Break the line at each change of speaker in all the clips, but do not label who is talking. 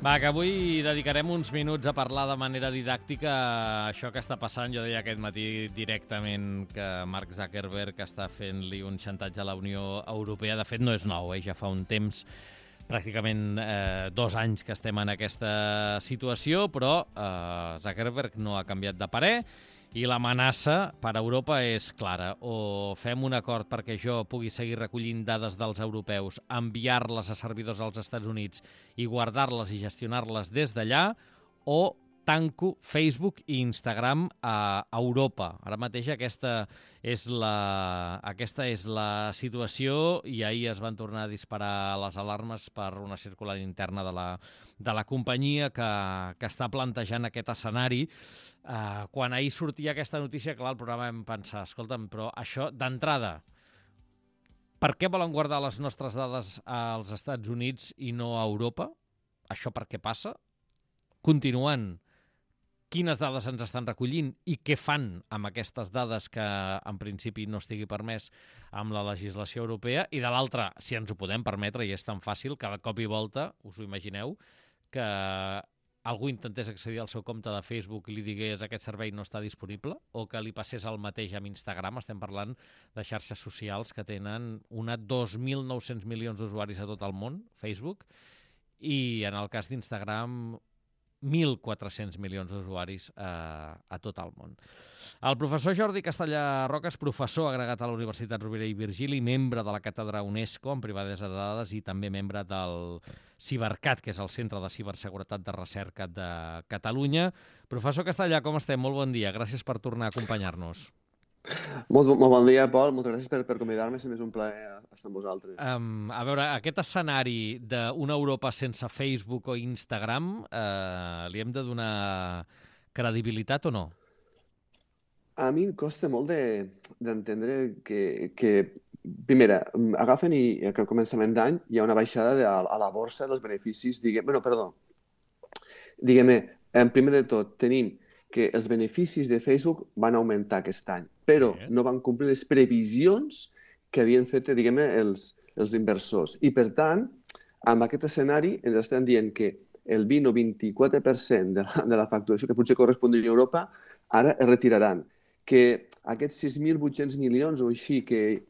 Va, que avui dedicarem uns minuts a parlar de manera didàctica això que està passant. Jo deia aquest matí directament que Mark Zuckerberg està fent-li un xantatge a la Unió Europea. De fet, no és nou, ja fa un temps, pràcticament 2 anys que estem en aquesta situació, però Zuckerberg no ha canviat de parer i l'amenaça per a Europa és clara. O fem un acord perquè jo pugui seguir recollint dades dels europeus, enviar-les a servidors als Estats Units i guardar-les i gestionar-les des d'allà, o tanco Facebook i Instagram a Europa. Ara mateix aquesta és la situació i ahir es van tornar a disparar les alarmes per una circular interna de la companyia que està plantejant aquest escenari. Quan ahir sortia aquesta notícia, clar, el programa vam pensar, escolta'm, però això d'entrada, per què volen guardar les nostres dades als Estats Units i no a Europa? Això per què passa? Continuant, quines dades ens estan recollint i què fan amb aquestes dades que en principi no estigui permès amb la legislació europea, i de l'altra, si ens ho podem permetre, i és tan fàcil, cada cop i volta, us ho imagineu, que algú intentés accedir al seu compte de Facebook i li digués aquest servei no està disponible, o que li passés el mateix amb Instagram. Estem parlant de xarxes socials que tenen 2.900 milions d'usuaris a tot el món, Facebook, i en el cas d'Instagram 1.400 milions d'usuaris a tot el món. El professor Jordi Castellà Roca és professor agregat a la Universitat Rovira i Virgili, membre de la càtedra UNESCO en privadesa de dades i també membre del CiberCat, que és el Centre de Ciberseguretat de Recerca de Catalunya. Professor Castellà, com estem? Molt bon dia. Gràcies per tornar a acompanyar-nos.
Molt bon dia, Pol. Moltes gràcies per convidar-me. Sempre és un plaer estar amb vosaltres.
A veure, aquest escenari d'una Europa sense Facebook o Instagram, li hem de donar credibilitat o no?
A mi em costa molt d'entendre que primera, agafen i a començament d'any hi ha una baixada a la borsa dels beneficis, primer de tot, tenim que els beneficis de Facebook van augmentar aquest any, però no van complir les previsions que havien fet, els inversors. I, per tant, amb aquest escenari ens estan dient que el 20 o 24% de la facturació que potser correspondria a Europa ara es retiraran, que aquests 6.800 milions o així que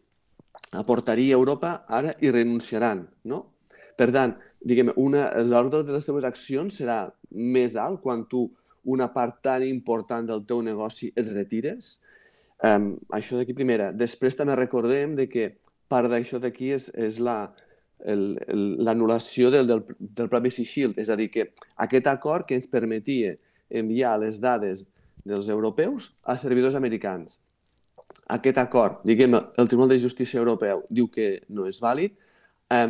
aportaria Europa ara hi renunciaran, no? Per tant, l'ordre de les teves accions serà més alt quan tu una part tan important del teu negoci et retires. Això d'aquí primera. Després també recordem que part d'això d'aquí és l'anul·lació del Privacy Shield, és a dir, que aquest acord que ens permetia enviar les dades dels europeus a servidors americans. Aquest acord, el Tribunal de Justícia Europeu diu que no és vàlid,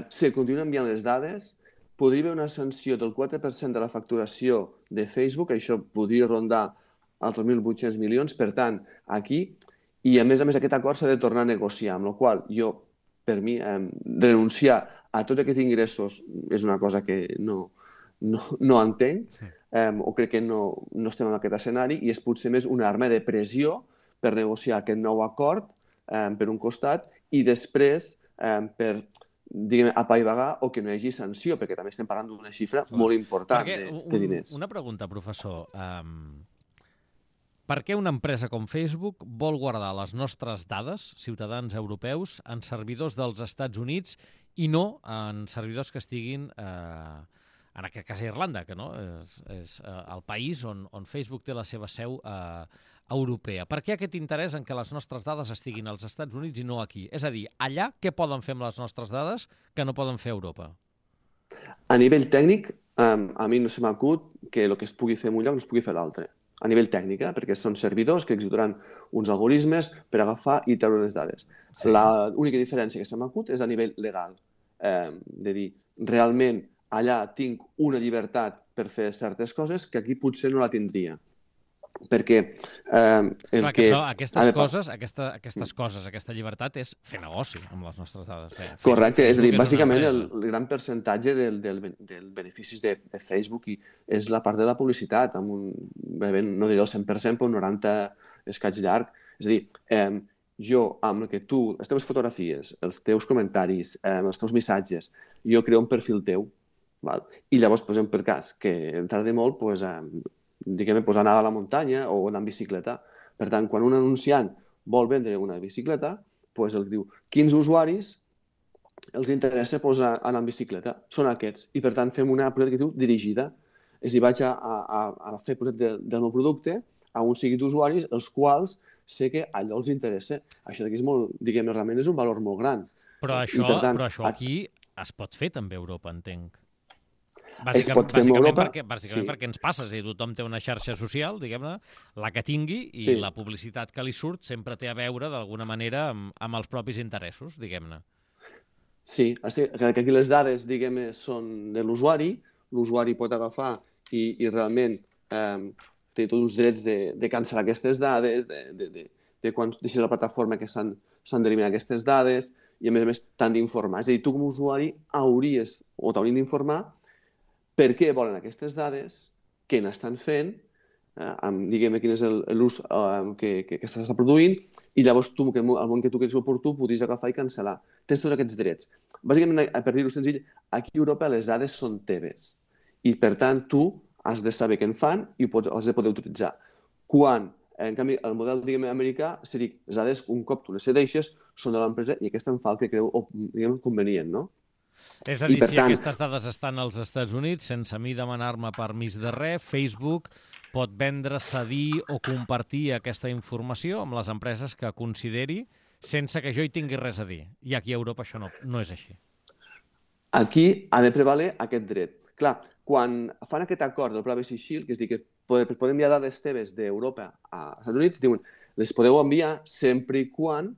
se continuen enviant les dades, podria haver una sanció del 4% de la facturació de Facebook, això podria rondar els 2.800 milions, per tant, aquí, i a més aquest acord s'ha de tornar a negociar, amb la qual jo, per mi, renunciar a tots aquests ingressos és una cosa que no entenc, o crec que no estem en aquest escenari, i és potser més una arma de pressió per negociar aquest nou acord, per un costat, i després per apaivagar o que no hi hagi sanció, perquè també estem parlant d'una xifra molt important de diners.
Una pregunta, professor. Per què una empresa com Facebook vol guardar les nostres dades, ciutadans europeus, en servidors dels Estats Units i no en servidors que estiguin, en aquest cas a Irlanda, que no és el país on Facebook té la seva seu europea? Per què aquest interès en que les nostres dades estiguin als Estats Units i no aquí? És a dir, allà què poden fer amb les nostres dades que no poden fer a Europa?
A nivell tècnic, a mi no se m'acut que el que es pugui fer en un lloc no es pugui fer a l'altre. A nivell tècnic, perquè són servidors que executaran uns algoritmes per agafar i treure les dades. L'única diferència que se m'acut és a nivell legal. De dir, realment allà tinc una llibertat per fer certes coses que aquí potser no la tindria. Perquè
però aquestes coses, aquesta llibertat és fer negoci amb les nostres dades.
Correcte, és a dir, bàsicament el gran percentatge dels beneficis de Facebook és la part de la publicitat, no diré el 100%, però un 90% escaig llarg. És a dir, jo, amb el que tu, les teves fotografies, els teus comentaris, els teus missatges, jo creo un perfil teu Val? I llavors, per exemple, per cas que em tardi molt, pues, diguem, pues, anar a la muntanya o anar en bicicleta. Per tant, quan un anunciant vol vendre una bicicleta, pues, el diu quins usuaris els interessa pues, anar en bicicleta. Són aquests. I, per tant, fem una publicitat que es diu dirigida. És a dir, vaig a fer publicitat del meu producte a un seguit d'usuaris, els quals sé que allò els interessa. Això d'aquí és molt, diguem, realment és un valor molt gran.
Però
I, per tant,
això aquí es pot fer també a Europa, entenc.
es pot fer a Europa,
Bàsicament perquè ens passa, és a dir, tothom té una xarxa social, diguem-ne, la que tingui, i
sí.
la publicitat que li surt sempre té a veure, d'alguna manera, amb els propis interessos, diguem-ne.
Sí, que aquí les dades, diguem, són de l'usuari pot agafar i realment té tots els drets de cancel·lar aquestes dades, de quan deixes la plataforma que s'han d'eliminar aquestes dades, i a més t'han d'informar. És a dir, tu com a usuari hauries o t'haurien d'informar per què volen aquestes dades, què n'estan fent, diguem quin és l'ús que s'està produint, i llavors tu, el món que tu creus oportú, podries agafar i cancel·lar. Tens tots aquests drets. Bàsicament, per dir-ho senzill, aquí a Europa les dades són teves i, per tant, tu has de saber què en fan i has de poder utilitzar. Quan, en canvi, el model, diguem, americà seria les dades, un cop tu les cedeixes, són de l'empresa i aquesta en fa el que creu, diguem, convenient, no?
És a dir, si aquestes dades estan als Estats Units, sense mi demanar-me permís de res, Facebook pot vendre, cedir o compartir aquesta informació amb les empreses que consideri sense que jo hi tingui res a dir. I aquí a Europa això no és així.
Aquí ha de prevaler aquest dret. Clar, quan fan aquest acord del Privacy Shield, que és dir, que podem enviar dades teves d'Europa als Estats Units, diuen, les podeu enviar sempre i quan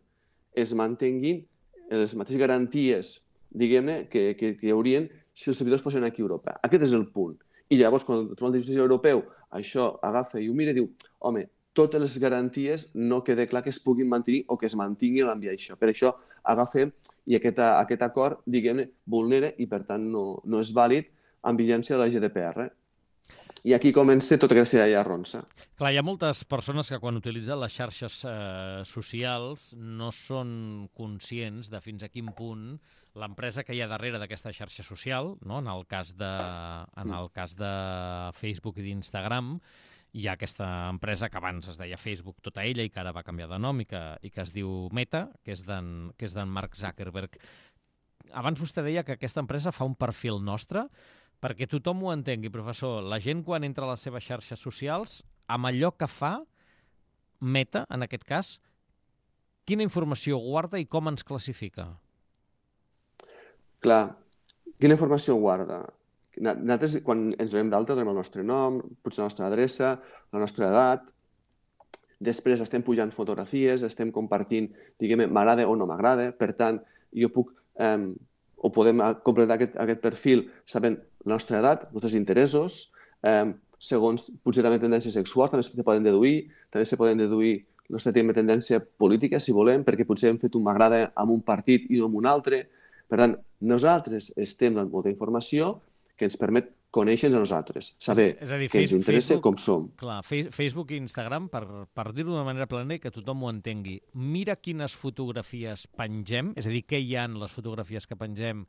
es mantinguin les mateixes garanties, diguem-ne, que hi haurien si els servidors fossin aquí a Europa. Aquest és el punt. I llavors, quan el Tribunal de Justícia Europeu això agafa i ho mira i diu, home, totes les garanties no queda clar que es puguin mantenir o que es mantingui l'enviar això. Per això agafem i aquest acord, diguem-ne, vulnera i, per tant, no és vàlid en vigència de la GDPR. I aquí comença tota aquesta arronsa.
Clar, hi ha moltes persones que quan utilitzen les xarxes socials no són conscients de fins a quin punt l'empresa que hi ha darrere d'aquesta xarxa social, no? En el cas de Facebook i d'Instagram, hi ha aquesta empresa que abans es deia Facebook tota ella i que ara va canviar de nom i que es diu Meta, que és d'en Mark Zuckerberg. Abans vostè deia que aquesta empresa fa un perfil nostre. Perquè tothom ho entengui, professor, la gent quan entra a les seves xarxes socials, amb allò que fa, Meta, en aquest cas, quina informació guarda i com ens classifica?
Clar, quina informació guarda? Nosaltres, quan ens donem d'alta, donem el nostre nom, potser la nostra adreça, la nostra edat. Després estem pujant fotografies, estem compartint, diguem, m'agrada o no m'agrada. Per tant, jo puc... o podem completar aquest perfil sabent la nostra edat, els nostres interessos, segons potser també tendències sexuals, també se poden deduir, també se poden deduir la nostra tendència política, si volem, perquè potser hem fet un m'agrada amb un partit i no amb un altre. Per tant, nosaltres estem donant molta informació que ens permet conèixer-nos a nosaltres, saber què ens interessa, com som.
Clar, Facebook i Instagram, per dir-ho d'una manera plena i que tothom ho entengui, mira quines fotografies pengem, és a dir, què hi ha en les fotografies que pengem,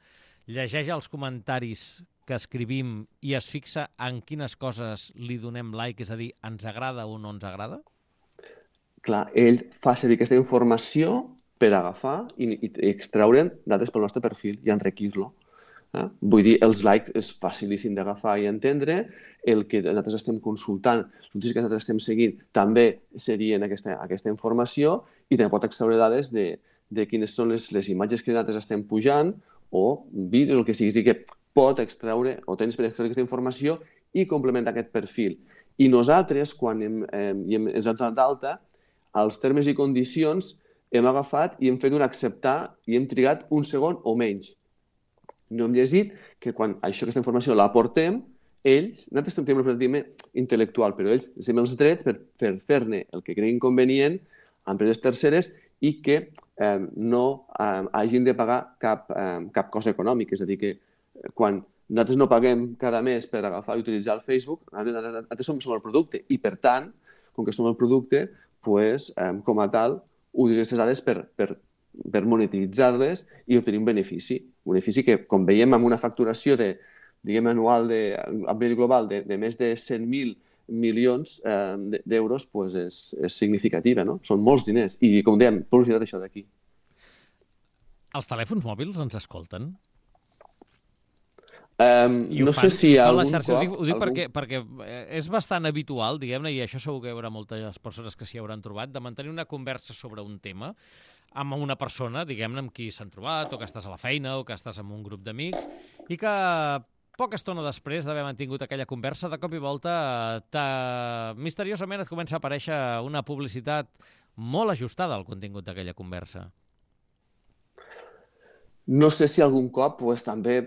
llegeix els comentaris que escrivim i es fixa en quines coses li donem like, és a dir, ens agrada o no ens agrada?
Clar, ell fa servir aquesta informació per agafar i extraure'n dades pel nostre perfil i enriquir-lo. Vull dir, els likes és facilíssim d'agafar i entendre, el que nosaltres estem consultant, les notícies que nosaltres estem seguint, també serien aquesta informació i també pot extreure dades de quines són les imatges que nosaltres estem pujant o vídeos, el que sigui. És dir, que pot extreure o tens per extreure aquesta informació i complementar aquest perfil. I nosaltres, quan ens hem donat d'alta, als termes i condicions hem agafat i hem fet un acceptar i hem trigat un segon o menys. No hem llegit que quan aquesta informació la portem, nosaltres tenim un paradigma intel·lectual, però ells tenen els drets per fer-ne el que creguin convenient a empreses terceres i que no hagin de pagar cap cost econòmic. És a dir, que quan nosaltres no paguem cada mes per agafar i utilitzar el Facebook, nosaltres som el producte i, per tant, com que som el producte, com a tal, utilitzem aquestes dades per monetitzar-les i obtenir un benefici. Un benefici que, com veiem amb una facturació de diguem, anual a nivell global de més de 100.000 milions d'euros, pues és significativa, no? Són molts diners. I, com dèiem, publicitat això d'aquí.
Els telèfons mòbils ens escolten?
No sé si algun cop...
Ho dic perquè és bastant habitual, diguem-ne, i això segur que hi haurà moltes persones que s'hi hauran trobat, de mantenir una conversa sobre un tema amb una persona, diguem-ne, amb qui s'han trobat, o que estàs a la feina, o que estàs en un grup d'amics, i que poca estona després d'haver mantingut aquella conversa, de cop i volta, misteriosament et comença a aparèixer una publicitat molt ajustada al contingut d'aquella conversa.
No sé si algun cop pues, també,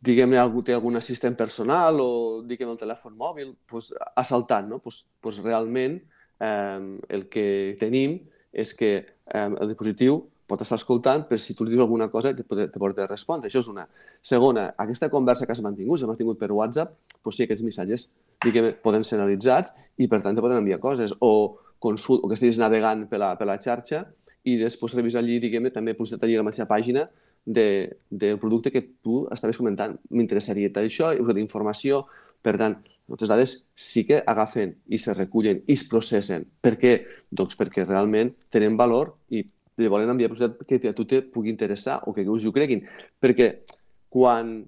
diguem-ne, algú té algun assistent personal o, diguem, el telèfon mòbil, pues, assaltant, no? Pues, realment el que tenim és que el dispositiu pot estar escoltant per si tu li dius alguna cosa i te pot respondre. Això és una. Segona, aquesta conversa que has mantingut per WhatsApp, pues sí, aquests missatges, diguem, poden ser analitzats i per tant te poden enviar coses. O que estiguis navegant per la xarxa i després revisar allí, diguem, també publicitat allí a la mateixa pàgina del producte que tu estaves comentant. M'interessaria això, us dono informació. Per tant, moltes dades sí que agafen i se recullen i es processen. Per què? Doncs perquè realment tenen valor i li volen enviar publicitat que a tu te pugui interessar o que us ho creguin. Perquè quan,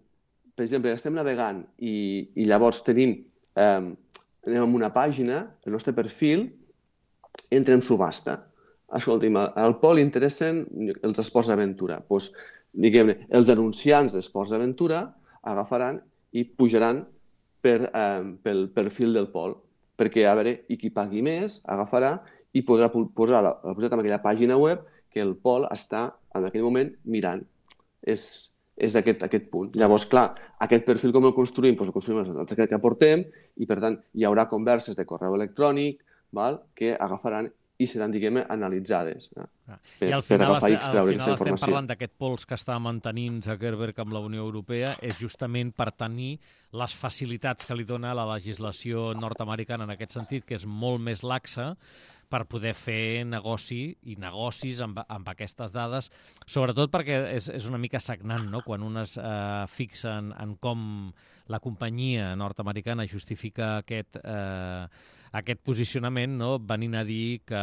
per exemple, estem navegant i llavors anem a una pàgina, el nostre perfil entra en subhasta. Escolti'm, al Pol li interessen els esports d'aventura. Doncs, diguem-ne, els anunciants d'esports d'aventura agafaran i pujaran pel perfil del Pol, perquè a veure, i qui pagui més agafarà i podrà posar la publicitat en aquella pàgina web que el Pol està en aquell moment mirant. És aquest punt. Llavors, clar, aquest perfil com el construïm? Doncs el construïm amb el que aportem i, per tant, hi haurà converses de correu electrònic que agafaran i seran, diguem-ne, analitzades
I al final estem parlant d'aquest pols que està mantenint Zuckerberg amb la Unió Europea és justament per tenir les facilitats que li dona la legislació nord-americana en aquest sentit, que és molt més laxa, per poder fer negocis amb aquestes dades, sobretot perquè és una mica sagnant, no? Quan un es fixa en com la companyia nord-americana justifica aquest posicionament, no? Venint a dir que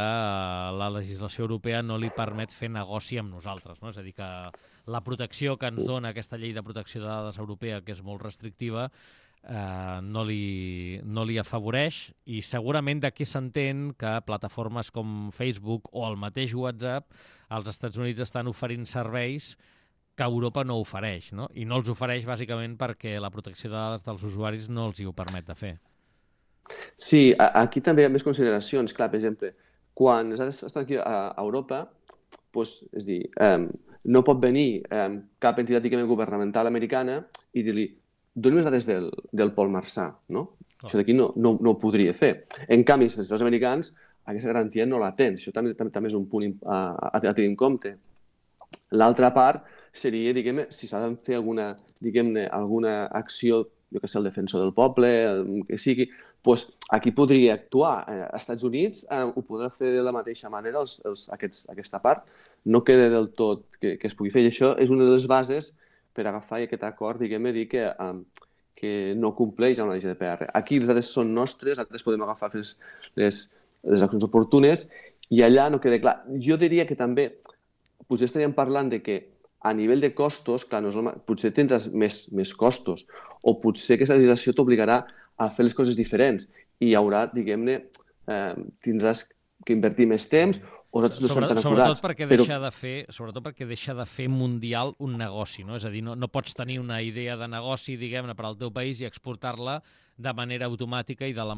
la legislació europea no li permet fer negoci amb nosaltres, no? És a dir, que la protecció que ens dona aquesta llei de protecció de dades europea, que és molt restrictiva, no li afavoreix, i segurament d'aquí s'entén que plataformes com Facebook o el mateix WhatsApp als Estats Units estan oferint serveis que Europa no ofereix, no? I no els ofereix bàsicament perquè la protecció de dades dels usuaris no els hi ho permet de fer.
Sí, aquí també hi ha més consideracions. Clar, per exemple, quan estan aquí a Europa, doncs, és dir, no pot venir cap entitat governamental americana i dir-li doni les dades del Pol Marçà, no? Això d'aquí no ho podria fer. En canvi, els legisladors americans aquesta garantia no la tenen. Això també és un punt a tenir en compte. L'altra part seria, diguem-ne, si s'ha de fer alguna acció, jo que sé, el defensor del poble, el que sigui, doncs aquí podria actuar. Als Estats Units ho podrà fer de la mateixa manera, aquesta part. No queda del tot que es pugui fer. I això és una de les bases per agafar aquest acord, diguem-ne, dir que no compleix amb la GDPR. Aquí les dades són nostres, nosaltres podem agafar les accions oportunes i allà no queda clar. Jo diria que també, potser estaríem parlant de que a nivell de costos, clar, potser tindràs més costos o potser aquesta legislació t'obligarà a fer les coses diferents i hi haurà, diguem-ne, tindràs que invertir més temps o no són tan acurats.
Sobretot perquè deixa de fer mundial un negoci, no? És a dir, no pots tenir una idea de negoci, diguem-ne, per al teu país i exportar-la de manera automàtica i amb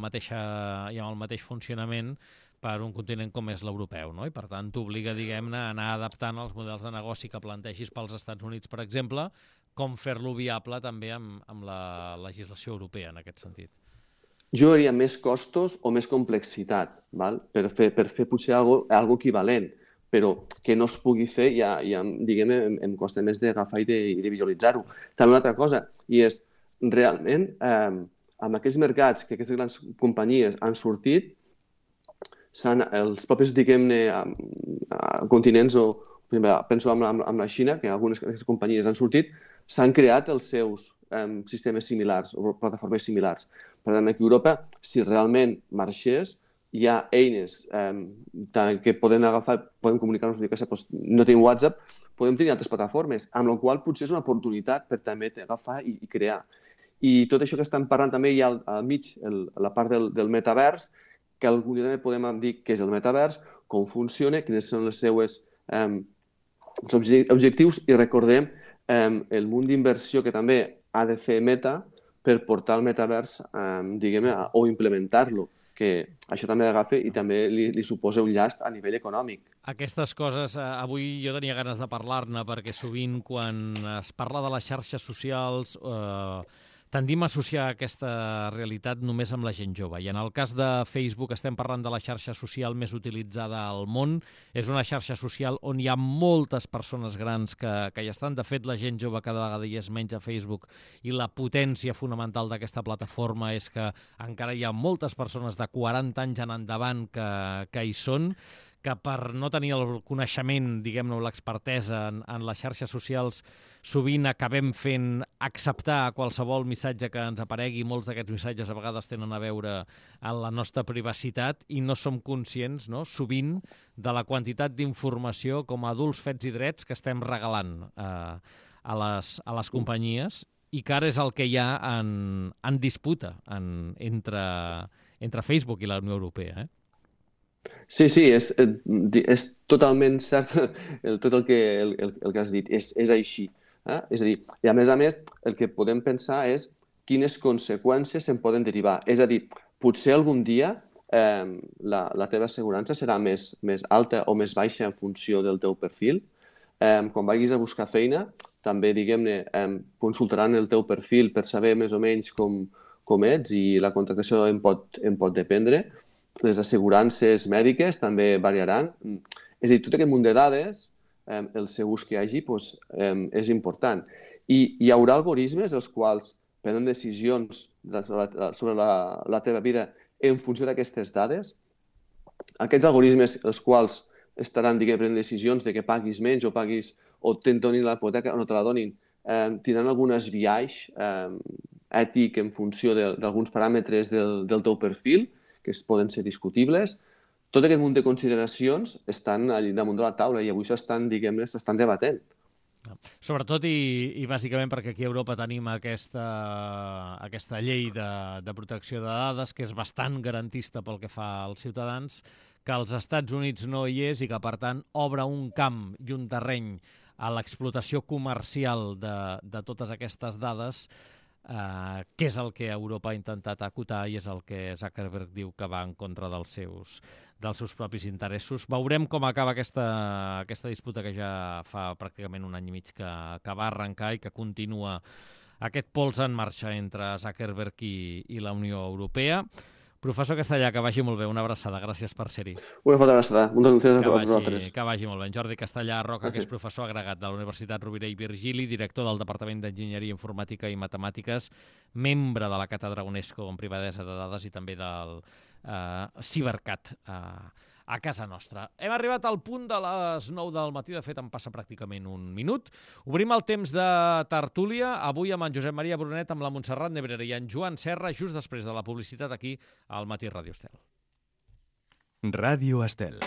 el mateix funcionament per un continent com és l'europeu, no? I per tant t'obliga, diguem-ne, a anar adaptant els models de negoci que plantegis pels Estats Units, per exemple, com fer-lo viable també amb la legislació europea en aquest sentit.
Jo diria més costos o més complexitat, val? Per fer potser algo equivalent, però que no es pugui fer ja diguem-ne, em costa més d'agafar i de visualitzar-ho. També una altra cosa, i és realment amb aquells mercats que aquestes grans companyies han sortit, els propis, diguem-ne, continents, o penso amb la Xina, que algunes d'aquestes companyies han sortit, s'han creat els seus sistemes similars o plataformes similars. Per tant, aquí a Europa, si realment marxés, hi ha eines que podem agafar, podem comunicar-nos, no tenim WhatsApp, podem tenir altres plataformes, amb la qual potser és una oportunitat per també agafar i crear. I tot això que estan parlant també hi ha al mig, la part del metavers, que algun dia també podem dir què és el metavers, com funciona, quines són els seus objectius i recordem el munt d'inversió que també ha de fer Meta per portar el metavers, diguem-ne, o implementar-lo, que això també agafa i també li suposa un llast a nivell econòmic.
Aquestes coses, avui jo tenia ganes de parlar-ne perquè sovint quan es parla de les xarxes socials tendim a associar aquesta realitat només amb la gent jove. I en el cas de Facebook estem parlant de la xarxa social més utilitzada al món. És una xarxa social on hi ha moltes persones grans que hi estan. De fet, la gent jove cada vegada hi és menys a Facebook i la potència fonamental d'aquesta plataforma és que encara hi ha moltes persones de 40 anys en endavant que hi són, que per no tenir el coneixement, diguem-ne, l'expertesa en les xarxes socials, sovint acabem fent acceptar qualsevol missatge que ens aparegui. Molts d'aquests missatges a vegades tenen a veure amb la nostra privacitat i no som conscients, no?, sovint, de la quantitat d'informació com a adults fets i drets que estem regalant a les companyies i que ara és el que hi ha en disputa entre Facebook i la Unió Europea,
Sí, és totalment cert tot el que has dit, és així. És a dir, i a més, el que podem pensar és quines conseqüències se'n poden derivar. És a dir, potser algun dia la teva assegurança serà més alta o més baixa en funció del teu perfil. Quan vagis a buscar feina, també, diguem-ne, consultaran el teu perfil per saber més o menys com ets i la contractació en pot dependre. Les assegurances mèdiques també variaran. És a dir, tot aquest munt de dades, el seu ús que hi hagi, és important. I hi haurà algoritmes els quals prenen decisions sobre la teva vida en funció d'aquestes dades. Aquests algoritmes, els quals estaran, prenent decisions de que paguis menys o te'n donin la hipoteca o no te la donin, tindran algunes biaix ètic en funció d'alguns paràmetres del teu perfil, que poden ser discutibles. Tot aquest munt de consideracions estan allà damunt de la taula i avui s'estan debatent.
Sobretot i bàsicament perquè aquí a Europa tenim aquesta llei de protecció de dades que és bastant garantista pel que fa als ciutadans, que als Estats Units no hi és i que, per tant, obre un camp i un terreny a l'explotació comercial de totes aquestes dades, que és el que Europa ha intentat acotar i és el que Zuckerberg diu que va en contra dels seus propis interessos. Veurem com acaba aquesta disputa que ja fa pràcticament un any i mig que va arrencar i que continua aquest pols en marxa entre Zuckerberg i la Unió Europea. Professor Castellà, que vagi molt bé. Una abraçada. Gràcies per ser-hi.
Una forta abraçada. Moltes gràcies a vosaltres.
Que vagi molt bé. Jordi Castellà Roca, que és professor agregat de la Universitat Rovira i Virgili, director del Departament d'Enginyeria Informàtica i Matemàtiques, membre de la Càtedra UNESCO en Privadesa de Dades i també del Cibercat a casa nostra. Hem arribat al punt de les 9 del matí, de fet em passa pràcticament un minut. Obrim el temps de tertúlia, avui amb en Josep Maria Brunet, amb la Montserrat Nebrera i en Joan Serra, just després de la publicitat aquí al Matí Ràdio Estel.
Ràdio Estel.